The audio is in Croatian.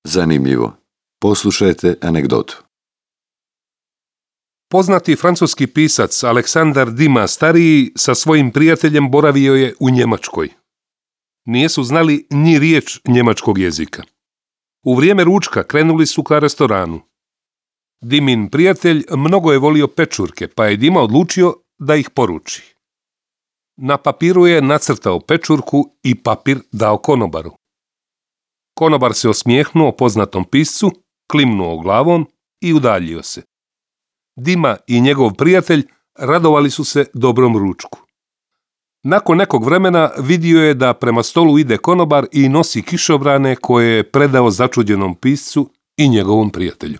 Zanimljivo. Poslušajte anegdotu. Poznati francuski pisac Aleksandar Dima stariji sa svojim prijateljem boravio je u Njemačkoj. Nisu znali ni riječ njemačkog jezika. U vrijeme ručka krenuli su ka restoranu. Dimin prijatelj mnogo je volio pečurke, pa je Dima odlučio da ih poruči. Na papiru je nacrtao pečurku i papir dao konobaru. Konobar se osmijehnuo poznatom piscu, klimnuo glavom i udaljio se. Dima i njegov prijatelj radovali su se dobrom ručku. Nakon nekog vremena vidio je da prema stolu ide konobar i nosi kišobrane koje je predao začuđenom piscu i njegovom prijatelju.